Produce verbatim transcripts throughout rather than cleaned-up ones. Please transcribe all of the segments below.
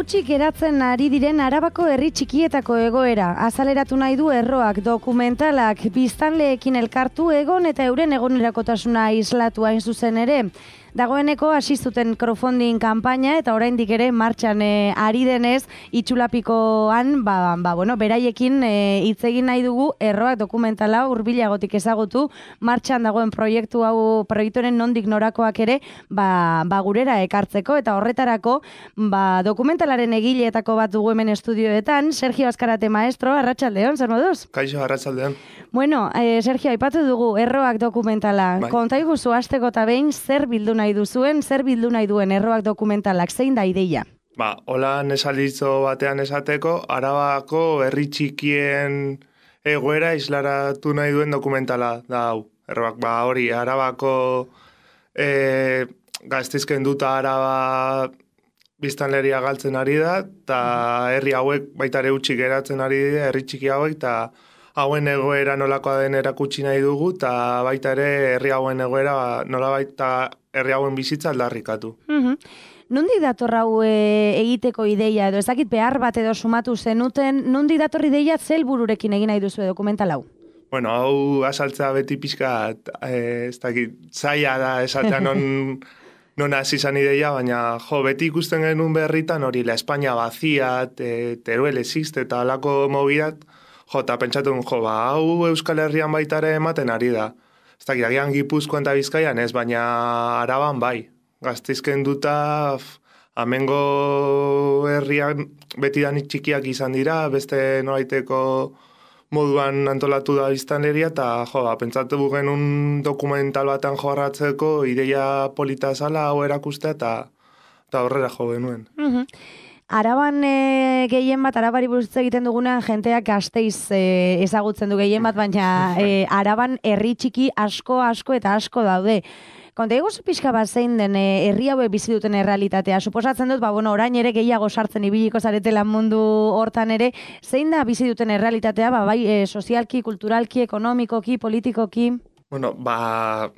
Hutsik geratzen ari diren Arabako herri txikietako egoera. Azaleratu nahi du Erroak dokumentalak, biztanleekin elkartu egon eta euren egunerakotasuna islatu hain zuzen ere. Dagoeneko hasi zuten crowdfunding kanpaina eta oraindik ere martxan e, ari denez itxulapikoan ba, ba, bueno, beraiekin hitz e, egin nahi dugu Erroak dokumentala hurbilagotik ezagutu martxan dagoen proiektu hau proiektuaren nondik norakoak ere ba, ba gurera ekartzeko eta horretarako ba, dokumentalaren egileetako bat dugu hemen estudioetan. Sergio Azkarate maestro, arratsaldeon, zer moduz? Kaixo, arratsaldeon. Bueno, eh, Sergio, aipatu dugu Erroak dokumentala. Bai. Konta iguzu hasteko eta behin zer bildu nahi duzuen, zer bildu nahi duen Erroak dokumentalak, zein da ideia? Ba, hola nesalitzo batean esateko, Arabako herri txikien egoera islaratu nahi duen dokumentala da hau. Erroak, ba, hori, Arabako e, gaztizken duta Araba biztanleria galtzen ari da, eta herri hauek baita ere utxik geratzen ari dira, herri txiki hauek, eta hauen egoera nolakoa den erakutsi nahi dugu, eta baita ere herri hauen egoera nola baita herri hauen bizitza aldarrikatu. Mm-hmm. Nundi dator hau e, egiteko ideia edo, ez dakit behar bat edo sumatu zenuten, nundi dator ideia zelbururekin egin nahi duzu dokumental hau? Bueno, hau asaltzea beti pixka, e, ez dakit, zaila da esatea non, non hasi izan ideia, baina jo, beti ikusten genuen berritan hori, la España vacía, te, Teruel existe, eta alako mobidat, jo, eta pentsatu, jo, ba, hau Euskal Herrian baita ere ematen ari da. Ez dakit, agian Gipuzkoan eta Bizkaian ez, baina Araban bai. Gaztizken duta, amengo herrian beti danik txikiak izan dira, beste nolaiteko moduan antolatu da biztanleria, eta jo, ba, pentsatu genuen dokumental batean jorratzeko, ideia polita zala hau erakustea, eta, eta horrela jo genuen. Mm-hmm. Araban e, gehien bat, Arabari buruz egiten dugunean jenteak Gasteiz e, ezagutzen du gehien bat, baina e, Araban herri txiki asko, asko eta asko daude. Konta egozu pixka bat zein den e, herri haue bizi duten errealitatea. Suposatzen dut, ba, bueno, orain ere gehiago sartzen ibiliko zaretela mundu hortan ere, zein da bizi duten errealitatea, ba, bai, e, sozialki, kulturalki, ekonomikoki, politikoki? Bueno, ba,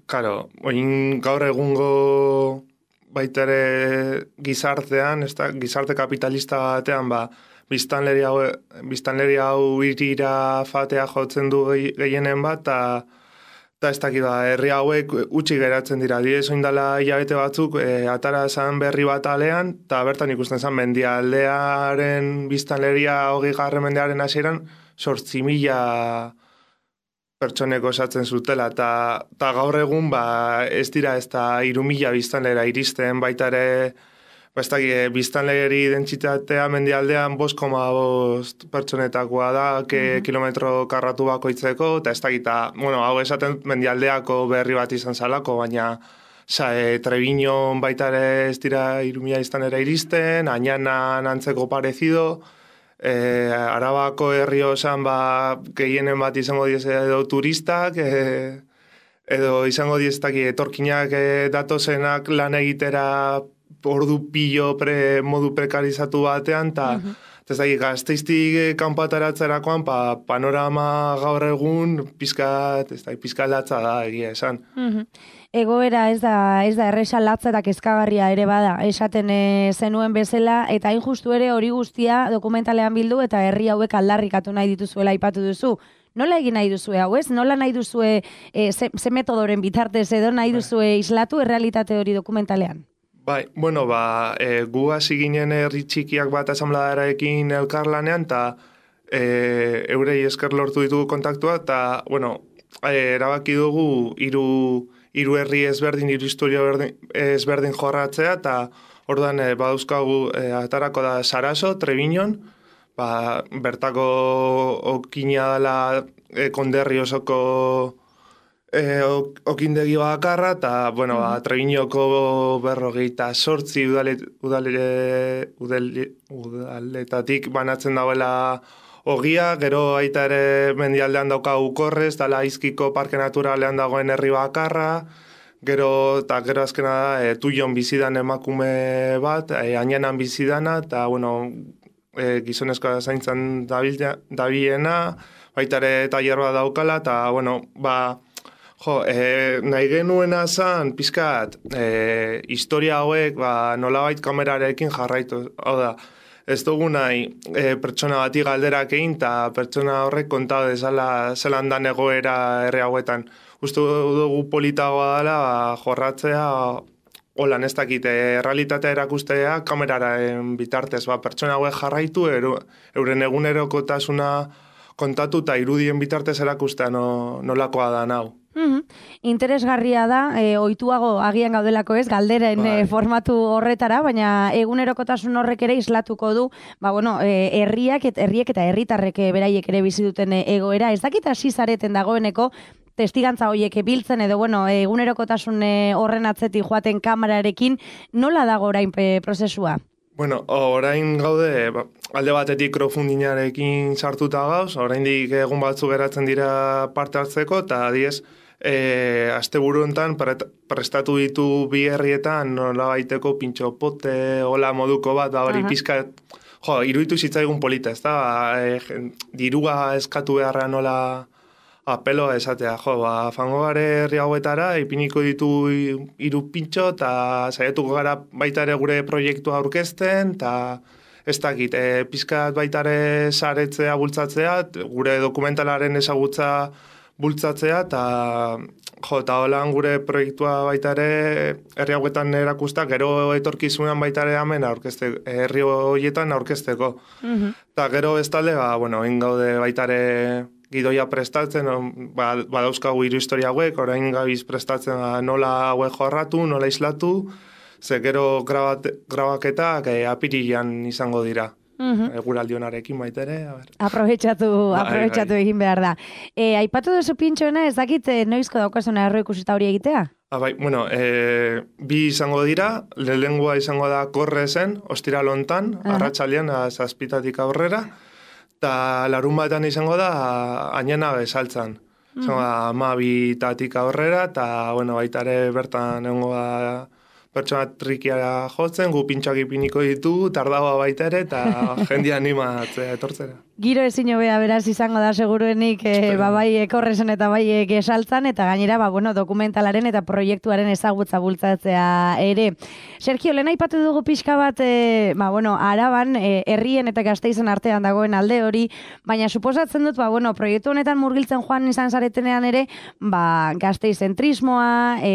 karo, oin gaur egungo baita ere gizartean, ez da, gizarte kapitalista batean, ba, biztanleria hau, biztanleria hau irira fatea jotzen du gehienen bat, eta ez dakit da, herri hauek utxi geratzen dira. Diez oindala hilabete batzuk, e, atara zan berri bat alean, eta bertan ikusten zen mendialdearen biztanleria hogei garren mendearen hasieran, sortzi mila pertsoneko esatzen zutela, eta gaur egun ba, ez dira ez da hiru mila biztanlera iristen, baita ere ba, ez da, biztanleri dentsitatea mendialdean bost koma bost pertsonetakoa da, ke mm-hmm. kilometro karratu bakoitzeko, eta ez da, eta, bueno, hau esaten mendialdeako berri bat izan zalako, baina sa, e, Trebiñon baita ere ez dira hiru mila biztanlera iristen, Añanan antzeko parezido, E, Arabako herri osan ba, gehienen bat izango diez edo turistak, e, edo izango dieztak etorkinak e, datozenak lan egitera ordu pillo pre, modu prekarizatu batean, eta uh-huh. ez da, Gasteiztik kanpataratzerakoan pa, panorama gaur egun pizkat, ez da, pizkat latza da egia esan. Uh-huh. Egoera ez da, ez da erresa latza eta kezkagarria ere bada, esaten e, zenuen bezala, eta hain justu ere hori guztia dokumentalean bildu eta herri hauek aldarrikatu nahi dituzuela aipatu duzu. Nola egin nahi duzue hau, ez? Nola nahi duzue e, ze, ze metodoren bitartez edo nahi duzue islatu errealitate hori dokumentalean? Bai, bueno, ba, e, gu hasi ginen herri txikiak bat asambladarekin elkarlanean, eta e, eurei esker lortu ditugu kontaktua, eta, bueno, e, erabaki dugu hiru hiru herri ezberdin, hiru historia ezberdin jorratzea, eta orduan e, badauzkagu e, atarako da Saraso, Trebiñon, ba, bertako okina dela e, konderri osoko e, ok, okindegi bakarra, eta, bueno, mm-hmm. ba, Trebiñoko berrogeita sortzi udale, udale, udale, udaletatik banatzen dauela ogia, gero aita ere mendialdean dauka ukorrez, dala izkiko parke naturalean dagoen herri bakarra, gero, eta gero azkena da, e, Tuion bizidan emakume bat, e, Añanan bizidana, eta, bueno, e, gizonezkoa zaintzan dabilena, baita ere tailer bat daukala, eta, bueno, ba, Jo, e, nahi genuena zan, pizkat, e, historia hauek, ba, nolabait kamerarekin jarraitu. Hau da, ez dugu nahi e, pertsona bati galderak egin, eta pertsona horrek kontau dezala zelan dan egoera herri hauetan. Uste dugu politagoa dela, ba, jorratzea, holan ez dakit, errealitatea erakustea kameraren bitartez, ba, pertsona hauek jarraitu, eru, euren egunerokotasuna kontatu eta irudien bitartez erakustea no, nolakoa da nau. Mm-hmm. Interesgarria da, e, ohituago agian gaudelako ez, galderen e, formatu horretara, baina egunerokotasun horrek ere islatuko du, ba, bueno, e, herriak, et, herriek eta herritarrek beraiek ere bizi duten egoera. Ez dakit hasi zareten dagoeneko, testigantza horiek biltzen edo, bueno, egunerokotasun horren atzetik joaten kamerarekin, nola dago orain e, prozesua? Bueno, orain gaude, alde batetik crowdfundingarekin sartuta gauz, oraindik egun batzu geratzen dira parte hartzeko, eta adiez, e, asteburu hontan prestatu ditu bi herrietan nola baiteko pintxo pote, hola moduko bat, da hori pizka, jo, iruditu zitzaigun polita, ez da, e, dirua eskatu beharra nola apelo esatea, jo, ba, fango gare herri hauetara, ipiniko ditu hiru pintxo, eta saiatuko gara baita ere gure proiektua aurkezten, eta ez dakit, e, pizkat baita ere saretzea, bultzatzea, gure dokumentalaren ezagutza bultzatzea, eta jo, eta holan gure proiektua baita ere herri hauetan erakusta, gero etorkizunan baita ere hemen aurkezte, herri horietan aurkezteko. Mm-hmm. Eta gero bestalde, ba, bueno, ingaude baita ere gidoia prestatzen, ba, badauzkagu hiru historia hauek, orain gabiz prestatzen nola hauek jorratu, nola islatu, ze gero grabat, grabaketak eh, apirilean izango dira. Mm-hmm. Eguraldionarekin baita ere. Aprobetxatu, aprobetxatu bai, bai. Egin behar da. E, aipatu duzu pintxoena, ez dakit noizko daukazuna erro ikusita hori egitea? Ah, bai, bueno, e, bi izango dira, lehengoa izango da korre zen, ostiral hontan, uh-huh. arratsalean zazpitatik aurrera, eta larun batean izango da, ainena bezaltzan. Mm-hmm. Izango da, amabitatik aurrera, eta, bueno, baita ere bertan egongo da pertsona trikiara jotzen, gu pintxoak ipiniko ditu, tardagoa baita ere, eta jendia animatzea etortzera. Giro ezin hobea beraz izango da seguruenik, e, ba, bai korrezen eta bai gesaltzan, eta gainera, ba, bueno, dokumentalaren eta proiektuaren ezagutza bultzatzea ere. Sergio, lehen aipatu dugu pixka bat, e, ba, bueno, Araban, e, herrien eta Gasteizen artean dagoen alde hori, baina suposatzen dut, ba, bueno, proiektu honetan murgiltzen joan izan zaretenean ere, ba, Gasteizentrismoa, e,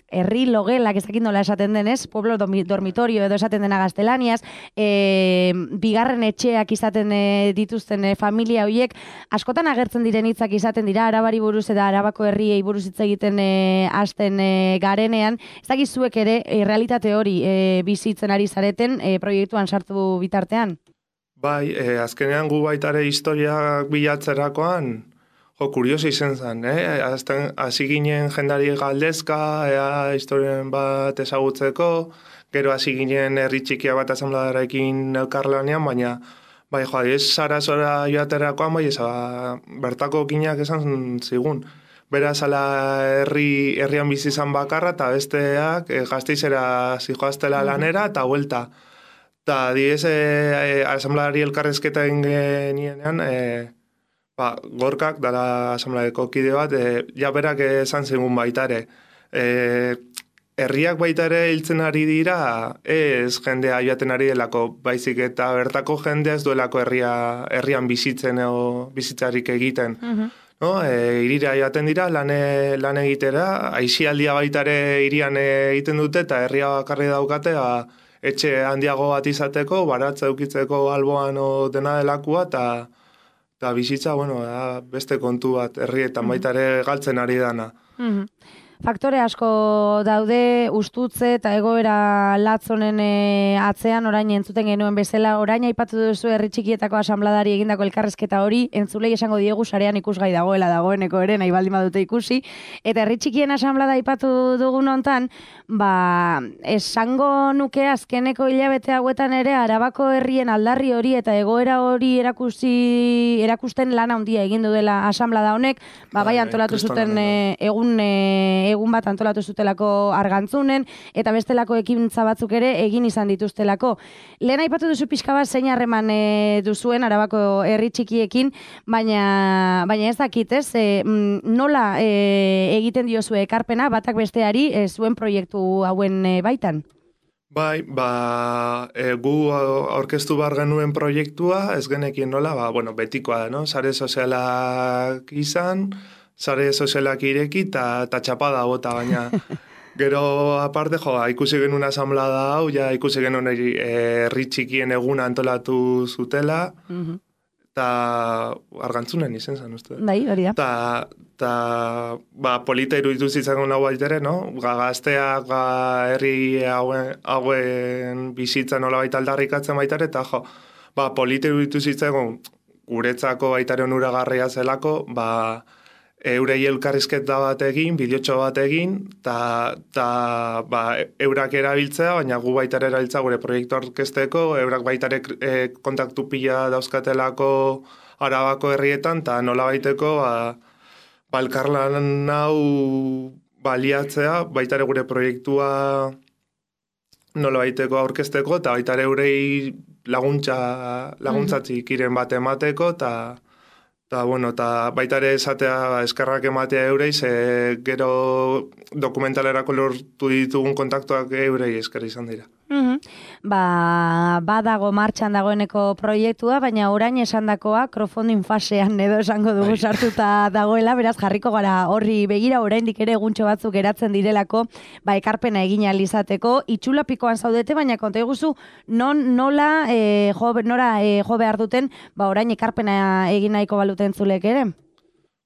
herri logelak, ez dakit nola esaten denez, pueblo dormitorio edo esaten dena gaztelaniaz, e, bigarren etxeak izaten e, dituzten e, familia horiek, askotan agertzen diren hitzak izaten dira, Arabari buruz eta Arabako herriei buruz hitz egiten e, hasten e, garenean, ez dakit zuek ere e, realitate hori e, bizitzen ari zareten e, proiektuan sartu bitartean? Bai, e, azkenean gu baitare historiak bilatzerakoan, jo, kurioso izen zen, eh? Azten, hasi ginen jendari galdezka, ea historien bat ezagutzeko, gero hasi ginen herri txikia bat asambladarekin elkarlanean, baina bai, jo, ez Sarasora joaterakoan, bai, ez, ba, bertako kinak esan zigun. Beraz, ala herri, herrian bizi izan bakarra, eta besteak e, Gasteizera zijoaztela lanera, eta huelta. Eta diez, e, e, asambladari elkarrezketa ingenienean, e, ba, gorkak, dara asambladeko kide bat, e, ja berak esan zigun baitare. E, herriak baitare hiltzen ari dira, ez jendea joaten ari delako, baizik eta bertako jendea ez duelako herria, herrian bizitzen o bizitzarik egiten. Uh-huh. No, e, irira joaten dira, lan, e, lan egitera, aisialdia baitare irian egiten dute, eta herria bakarri daukate, ba, etxe handiago bat izateko, baratza eukitzeko alboan o dena delakua, eta eta bizitza, bueno, da, beste kontu bat, herrietan baita ere galtzen ari dana. Mm-hmm. Faktore asko daude, ustutze eta egoera latzonen e, atzean, orain entzuten genuen bezala, orain aipatu duzu herri txikietako asambladari egindako elkarrezketa hori, entzulei esango diegu sarean ikusgai dagoela dagoeneko ere, nahi baldin badute ikusi, eta herri txikien asamblada aipatu dugun hontan, ba, esango nuke azkeneko hilabete hauetan ere, Arabako herrien aldarri hori eta egoera hori erakusi, erakusten lana handia egin dela asamblada honek, ba, bai antolatu zuten e, egun e, egun bat antolatu zutelako Argantzunen, eta bestelako ekintza batzuk ere egin izan dituztelako. Lehen aipatu duzu pixka bat zein harreman e, duzuen Arabako herri txikiekin, baina, baina ez dakit, ez? E, nola e, egiten diozue ekarpena batak besteari e, zuen proiektu hauen e, baitan? Bai, ba, e, gu aurkeztu bar genuen proiektua, ez genekin nola, ba, bueno, betikoa da, no? Sare sozialak izan, sare sozialak ireki eta txapada bota, baina gero aparte, jo, ikusi genuen asamblada hau, ja ikusi genuen herri txikien eguna antolatu zutela, uh-huh. eta Argantzunen izen zen, uste. Bai, hori da. Ta, ta, ba, polita iruditu zitzakon hau baitere, no? Ga, gazteak, ga, herri hauen, hauen bizitza nola baita aldarrikatzen baitare, eta jo, ba, polita iruditu zitzakon guretzako baitare onuragarria zelako, ba, eurei elkarrizketa bat egin, bideotxo bat egin, eta ba, eurak erabiltzea, baina gu baitare erabiltza gure proiektu orkesteko, eurak baitare e, kontaktu pila dauzkatelako Arabako herrietan, eta nola baiteko ba, ba, elkarlan hau baliatzea, baitare gure proiektua nola baiteko aurkezteko, eta baitare eurei laguntza, laguntzatzik iren bat emateko, eta Eta, bueno, eta baita ere esatea eskerrak ematea eurei, ze gero dokumentalerako lortu ditugun kontaktuak eurei esker izan dira. Mm-hmm. Ba, badago martxan dagoeneko proiektua, baina orain esandakoa crowdfunding fasean edo esango dugu sartuta dagoela, beraz jarriko gara horri begira oraindik ere eguntxo batzuk geratzen direlako, ba ekarpena egin ahal izateko, itxulapikoan zaudete, baina konta iguzu non nola e, jo, nora e, jo behar duten, ba orain ekarpena egin nahiko baluten zulek ere.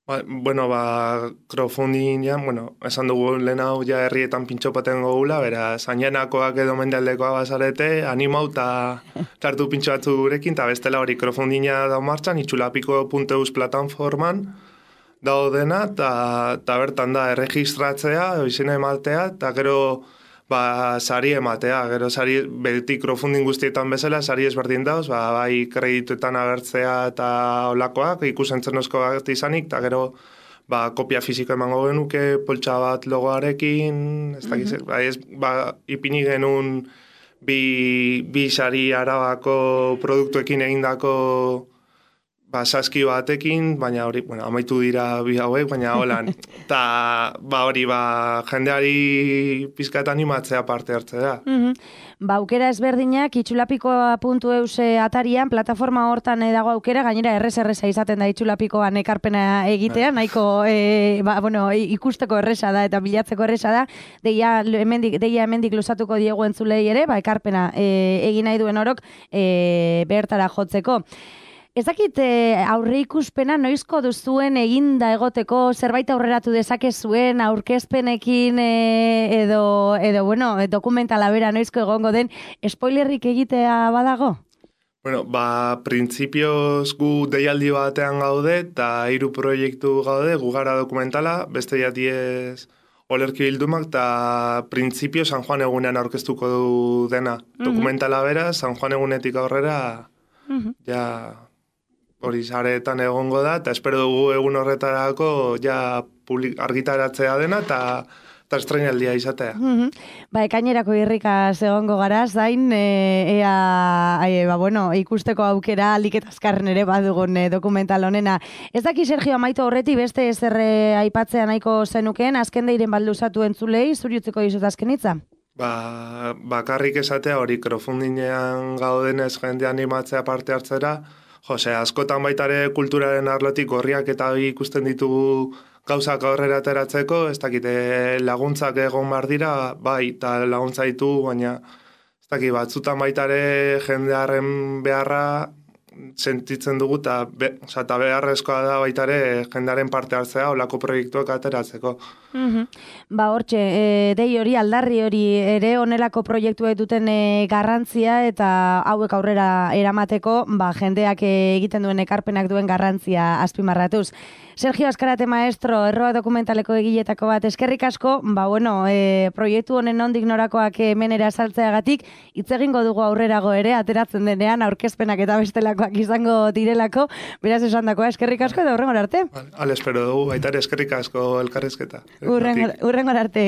Ba, bueno, ba, crowdfundingan, bueno, esan dugu lehen hau ja herrietan pintxopaten gogula, bera, zainenakoak edo mendealdekoa bazarete, animau eta tartu pintxo batzu gurekin, eta bestela hori crowdfundinga dau martxan, itxulapiko puntu eus plataforman dago dena, eta bertan da, erregistratzea, izena ematea, eta gero, ba, sari ematea, gero sari, beti crowdfunding guztietan bezala, sari ezberdin dauz, ba, bai kredituetan agertzea eta olakoak, ikusentzenosko bat izanik, eta gero, ba, kopia fiziko emango genuke, poltsa bat logoarekin, ez dakiz, mm-hmm. ba, ez, ba, ipini genuen bi, bi sari Arabako produktuekin egindako ba, saski batekin, baina hori, bueno, amaitu dira bi hauek, baina holan, eta ba, hori, ba, jendeari pizkat animatzea parte hartzea da. Mm-hmm. Ba, aukera ezberdinak, itxulapikoa puntu eus atarian, plataforma hortan dago aukera, gainera errez-erreza izaten da itxulapikoan ekarpena egitea, nahiko e, ba, bueno, ikusteko erreza da eta bilatzeko erreza da, deia hemendik, deia hemendik luzatuko diegu entzulei ere, ba, ekarpena e, egin nahi duen orok e, bertara jotzeko. Ez dakit aurre ikuspena noizko duzuen eginda egoteko zerbait aurreratu dezakezuen aurkezpenekin e, edo, edo bueno, dokumentala bera noizko egongo den spoilerrik egitea badago? Bueno, ba, printzipioz gu deialdi batean gaude eta hiru proiektu gaude, gu gara dokumentala, beste jatiez olerki bildumak eta printzipio San Juan egunean aurkeztuko du dena. Mm-hmm. Dokumentala bera, San Juan egunetik aurrera, mm-hmm. ja... hori saretan egongo da, eta espero dugu egun horretarako ja publik, argitaratzea dena, eta eta estreinaldia izatea. Mm-hmm. Ba, ekainerako irrikaz egongo gara, zain, e, ea, e, ba, bueno, ikusteko aukera alik eta azkarren ere badugun e, dokumental honena. Ez daki, Sergio, amaitu horreti beste ezerre aipatzea nahiko zenukeen, azken deiren balduzatu entzulei, zuriutzeko dizut azkenitza? Ba, bakarrik esatea hori crowdfundingean gaudenez jende animatzea parte hartzera, Jose, askotan baitare kulturaren arlotik gorriak eta ikusten ditugu gauzak aurrera ateratzeko, ez dakite laguntzak egon behar dira, bai, eta laguntza ditugu, baina ez dakit batzutan baitare jendearen beharra sentitzen dugu, eta be, beharrezkoa da baitare jendearen parte hartzea olako proiektuak ateratzeko. Mm-hmm. Ba, hortxe, e, dei hori, aldarri hori ere onelako proiektuek duten e, garrantzia eta hauek aurrera eramateko, ba, jendeak e, egiten duen ekarpenak duen garrantzia azpimarratuz. Sergio Azkarate maestro, erroa dokumentaleko egiletako bat, eskerrik asko, ba bueno, e, proiektu honen nondik norakoak hemenera saltzeagatik, hitz egingo dugu aurrerago ere, ateratzen denean, aurkezpenak eta bestelakoak izango direlako, beraz esandakoa, eskerrik asko eta hurrengora arte. Al espero dugu, baita ere eskerrik asko elkarrizketa. Hurrengora arte.